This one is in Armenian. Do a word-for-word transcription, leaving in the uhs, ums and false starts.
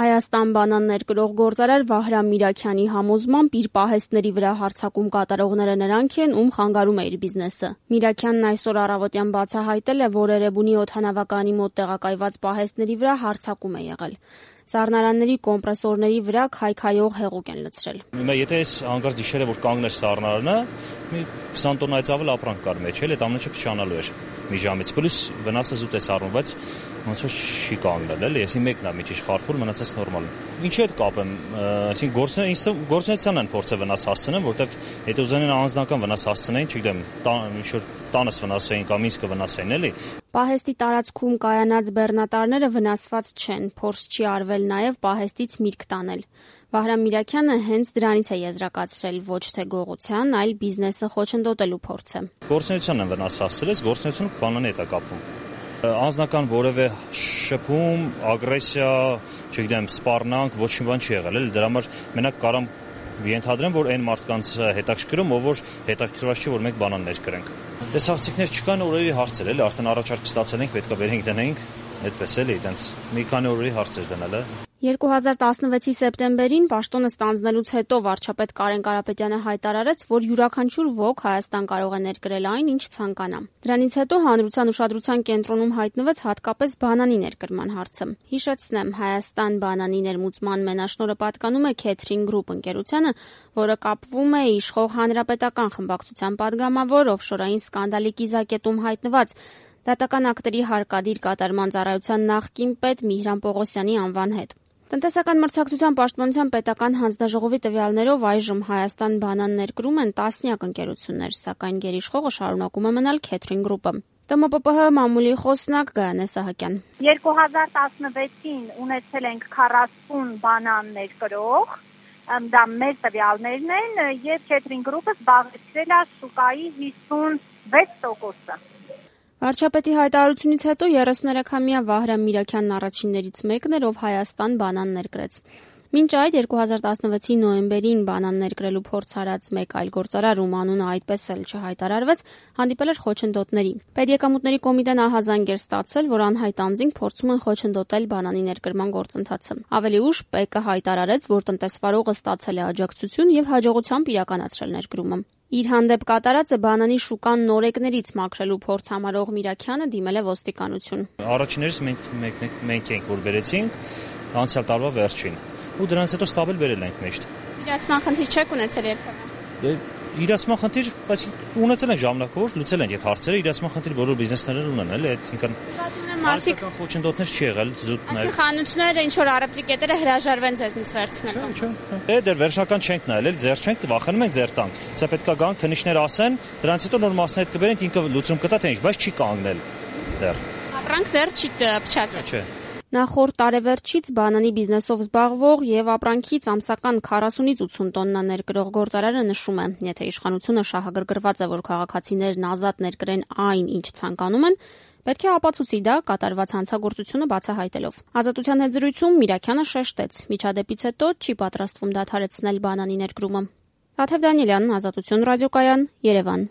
Հայաստան բանան ներկրող գործարար Վահրամ Միրաքյանի համոզմամբ իր պահեստների վրա հարձակում կատարողները նրանք են, ում խանգարում է իր բիզնեսը։ Միրաքյանն այսօր առավոտյան բացահայտել է, որ Էրեբունի օդանավականի մոտ տեղակայված պահեստների վրա հարձակում է եղել։ Սառնարանների կոմպրեսորների վրա քայքայող հեղուկ են լցրել։ Հիմա եթե այս հանկարծ դիշերը որ կանգներ սառնարանը, մի քսան տոննայից ավել ապրանք կար մեջ, էլ այդ ամենը չփչանալու էր մի ժամից։ Պլյուս վնասը զուտ է սառնում, բայց ոնց որ չի կանգնել, էլի, եսի մեկն է մի քիչ խարխուլ, մնացած նորմալ։ Ինչի՞ հետ կապեմ, այսինքն գործունեությանն են փորձը վնաս հասցնեն, որտեվ եթե ուզենան անձնական վնաս հասցնեին, չգիտեմ, ինչ-որ տանս վնասային կամ իսկը վնասային, էլի։ Պահեստի տարածքում կայանած բեռնատարները վնասված չեն, փորձ չի արվել նաև պահեստից միրգ տանել։ Վահրամ Միրաքյանը հենց դրանից է եզրակացրել ոչ թե գողության, այլ բիզնեսը խոչընդոտելու փորձը։ Գործունեությանն են վնաս հասցրել, գործունեությունը բանանի հետ է կապվում։ Անձնական որևէ շփում, ագրեսիա, չգիտեմ, սպառնանք, ոչ մի բան չի եղել, էլի դրա համար մենակ կարամ ենթադրեմ, որ այն մարդկանց հետաքրքրում, ով որ հետաքրքրված չի, որ մենք բանան ներկրենք։ Տեսախցիկներ չկան, օրերի հարցեր, էլի արդեն առաջարկ ստացել ենք, պետք է վերենք դնենք, այդպես էլի, այտենց մի քանի օրերի հարցեր դնել է։ երկու հազար տասնվեցի սեպտեմբերին պաշտոնը ստանձնելուց հետո վարչապետ Կարեն Կարապետյանը հայտարարեց, որ յուրաքանչյուր ոք Հայաստան կարող է ներկրել այն, ինչ ցանկանա։ Դրանից հետո հանրության ուշադրության կենտրոնում հայտնվեց հատկապես բանանի ներկրման հարցը։ Հիշեցնեմ, Հայաստան բանանի ներմուծման մենաշնորհը պատկանում է Քեթրին Գրուպ ընկերությանը, որը կապվում է իշխող հանրապետական խմբակցության падգամավոր օֆշորային սկանդալի կիզակետում հայտնված դատական ակտերի հարկադիր կատարման ծառայության նախկին պետ Միհրան Պողոսյանի անվան հետ։ Տնտեսական մրցակցության պաշտպանության պետական հանձնաժողովի տվյալներով այժմ Հայաստան բանան ներկրում են տասնյակ ընկերություններ, սակայն գերիշխողը շարունակում է մնալ Քեթրին Գրուպը։ Տ M P P H մամուլի խոսնակ Գայանե Սահակյան։ երկու հազար տասնվեցին ունեցել ենք քառասուն բանան ներկրող, դա մեր տվյալներն են, եւ Քեթրին Գրուպը զբաղեցրել է շուկայի հիսունվեց տոկոսը։ Վարչապետի հայտարարությունից հետո երեսուներեքամյա Վահրամ Միրաքյանն առաջիններից մեկն էր, ով Հայաստան բանան ներկրեց։ Մինչ այդ երկու հազար տասնվեցի նոյեմբերին բանան ներկրելու փորձ արած մեկ այլ գործարար, ում անունը այդպես էլ չհայտարարվեց, հանդիպել էր խոչընդոտների։ Պետեկամուտների կոմիտեն ահազանգ էր ստացել, որ անհայտ անձինք փորձում են խոչընդոտել բանանի ներկրման գործընթացը։ Ավելի ուշ Պ Կ հայտարարեց, որ տնտեսվարողը ստացել է աջակցություն եւ հաջողությամբ իրականացրել ներկրումը։ Իր հանդեպ կատարածը բանանի շուկան նորեկներից մաքրելու փորձ համարող Միրաքյանը դիմել է ոստիկանություն։ Առաջիններս մենք մենք մենք ենք որ բերեցինք անցյալ տարվա վերջին ու դրանից հետո ստաբիլ բերել ենք մեջտ։ Իրացման խնդիր չեք ունեցել երբևէ։ Իրացման խնդիր, բայց ունեցել ենք ժամանակավոր, լուծել ենք այդ հարցերը, իրացման խնդիր բոլոր բիզնեսներն ունեն, էլի, այսինքն մարդիկ խոչընդոտներ չի եղել, զուտներ։ Այսինքն խանութները ինչ որ առևտրի կետերը հրաժարվեն ձեզնից վերցնել։ Չէ, չէ։ Է դեռ վերջնական չենք նայել, էլ ձեր չենք, վախենում ենք ձեր տանք։ Սա պետքա գան քննիչներ ասեն, դրանից հետո նոր մասն հետ կբերենք, ինքը լուծում կտա թե ինչ, բայց չի կանգնել դեռ։ Ապրանք դեռ չի փչացել։ Չէ։ Նախորդ տարեվերջից բանանի բիզնեսով զբաղվող եւ ապրանքից ամսական քառասունից ութսուն տոննա ներկրող գործարարը նշում է, եթե իշխանությունը շահագրգռված է, որ քաղաքացիներն ազատ ներկրեն այն, ինչ ցանկանում են, պետք է ապացուցի դա կատարված հանցագործությունը բացահայտելով։ Ազատության հետ զրույցում Միրաքյանը շեշտեց, միջադեպից հետո չի պատրաստվում դադարեցնել բանանի ներկրումը։ Թաթև Դանիելյան, Ազատություն ռադիոկայան, Երևան։